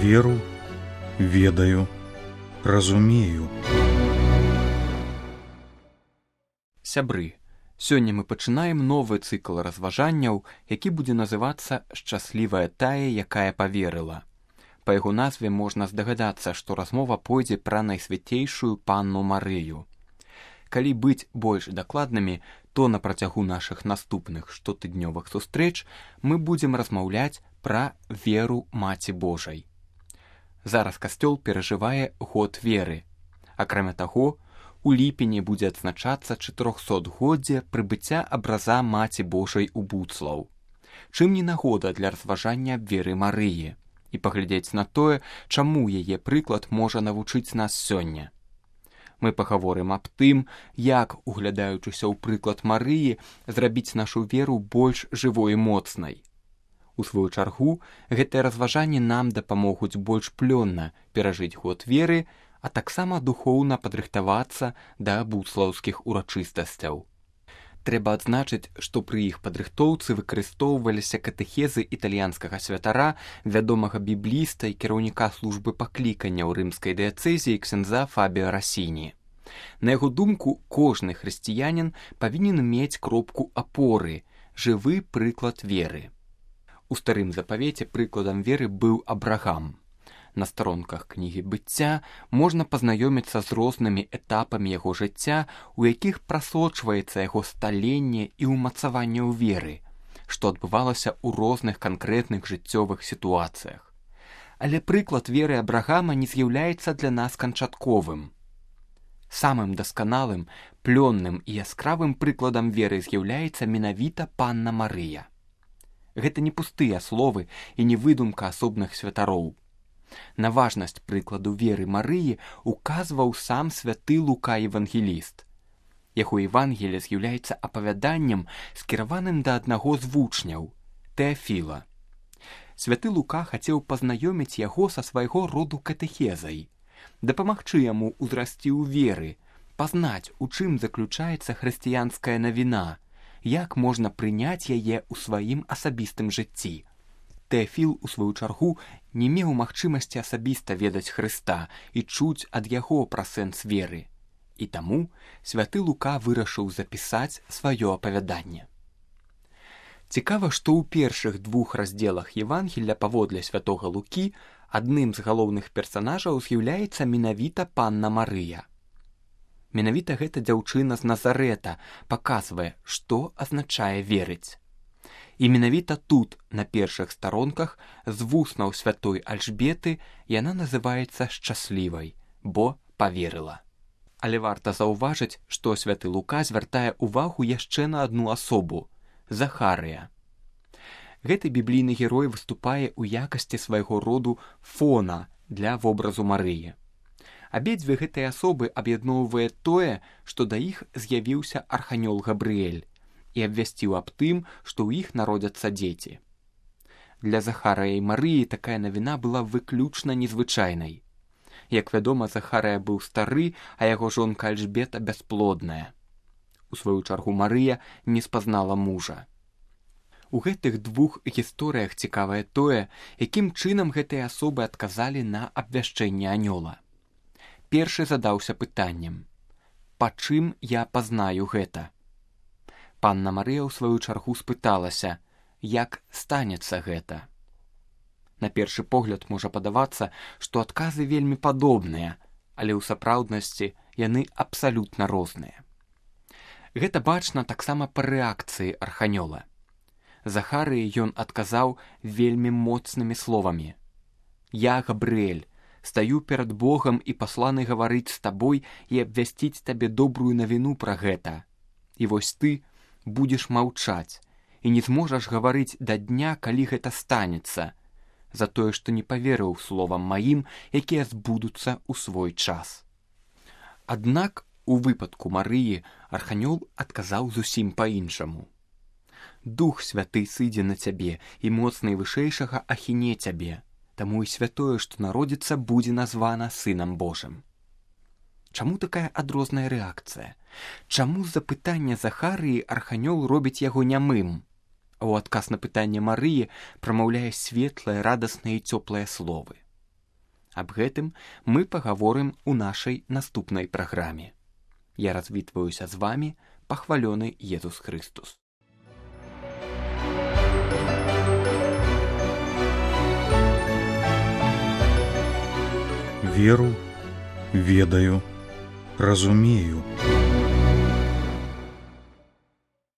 веру, ведаю, разумею. Сябры, сёння мы пачынаем новы цыкл разважанняў, які будзе называцца «Шчаслівая тая, якая паверыла». Па яго назве можна здагадацца, што размова пойдзе пра найсвяцейшую панну Марыю. Калі быць больш дакладнымі, то на працягу нашых наступных штотыднёвых сустрэч мы будзем размаўляць пра веру Маці Божай. Зараз касцёл перажывае год веры. Акрамя таго, у ліпені будзе адзначацца 400годдзе прыбыцця абраза Маці Божай у Буцлаў. Чым не нагода для разважання аб веры Марыі і паглядзець на тое, чаму яе прыклад можа навучыць нас сёння. Мы пагаворым аб тым, як, углядаючыся ў прыклад Марыі, зрабіць нашу веру больш жывой і моцнай. У сваю чаргу, гэтыя разважанні нам дапамогуць больш плённа перажыць год веры, а таксама духоўна падрыхтавацца да буцлаўскіх урачыстасцяў. Трэба адзначыць, што пры іх падрыхтоўцы выкарыстоўваліся катэхезы італьянскага святара, вядомага бібліста і кіраўніка службы паклікання ў рымскай дыяцэзіі ксяндза Фабіа Расіні. На яго думку, кожны хрысціянін павінен мець кропку апоры, жывы прыклад веры. У старым запавеце прыкладам веры быў Абрагам. На старонках кнігі быцця можна пазнаёміцца з рознымі этапамі яго жыцця, у якіх прасочваецца яго сталенне і ўмацаванне ў веры, што адбывалася ў розных канкрэтных жыццёвых сітуацыях. Але прыклад веры Абрагама не з'яўляецца для нас канчатковым. Самым дасканалым, плённым і яскравым прыкладам веры з'яўляецца менавіта панна Марыя. Гэта не пустыя словы і не выдумка асобных святароў. На важнасць прыкладу веры Марыі указваў сам святы Лука евангеліст. Яго Евангелие з'яўляецца апавяданнем, скіраваным да аднаго з вучняў, Тэафіла. Святы Лука хацеў пазнаёміць яго са свайго роду катэхезай, дапамагчы яму ўзрасці ў веры, пазнаць, у чым заключаецца хрысціянская навіна, як можна прыняць яе ў сваім асабістым жыцці. Тэафіл, у сваю чаргу, не меў магчымасці асабіста ведаць Хрыста і чуць ад яго пра сэнс веры. І таму святы Лука вырашыў запісаць сваё апавяданне. Цікава, што ў першых двух раздзелах Евангелля паводле святога Лукі адным з галоўных персанажаў з'яўляецца менавіта панна Марыя. Менавіта гэта дзяўчына з Назарэта паказвае, што азначае верыць. І менавіта тут, на першых старонках, з вуснаў святой Альжбеты яна называецца шчаслівай, бо паверыла. Але варта заўважыць, што святы Лука звяртае ўвагу яшчэ на адну асобу – Захарыя. Гэты біблійны герой выступае ў якасці свайго роду фона для вобразу Марыі. Абедзве гэтыя асобы аб'ядноўвае тое, што да іх з'явіўся арханёл Габрыэль і абвясціў аб тым, што ў іх народзяцца дзеці. Для Захарыя і Марыі такая навіна была выключна незвычайнай. Як вядома, Захарыя быў стары, а яго жонка Альжбета бясплодная. У сваю чаргу Марыя не спазнала мужа. У гэтых двух гісторыях цікавае тое, якім чынам гэтыя асобы адказалі на абвяшчэнне анёла. Першы задаўся пытаннем: «Па чым я пазнаю гэта?» Панна Марыя ў сваю чаргу спыталася, як станецца гэта. На першы погляд можа падавацца, што адказы вельмі падобныя, але ў сапраўднасці яны абсалютна розныя. Гэта бачна таксама па рэакцыі арханёла. Захарыі ён адказаў вельмі моцнымі словамі: «Я, Габрыэль, стаю перад Богам і пасланы гаварыць з табой і абвясціць табе добрую навіну пра гэта. І вось ты будзеш маўчаць і не зможаш гаварыць да дня, калі гэта станецца, за тое, што не паверыў словам маім, якія збудуцца ў свой час». Аднак у выпадку Марыі арханёл адказаў зусім па-іншаму. «Дух святы сыдзе на цябе, і моцны вышэйшага ахіне цябе, таму і святое, што народзіцца, будзе названа Сынам Божым». Чаму такая адрозная рэакцыя? Чаму з-за пытання Захарыі арханёл робіць яго нямым, а ў адказ на пытанне Марыі прамаўляе светлыя, радасныя і цёплыя словы? Аб гэтым мы пагаворым у нашай наступнай праграме. Я развітваюся з вамі, пахвалёны Езус Хрыстус. Веру, ведаю, разумею.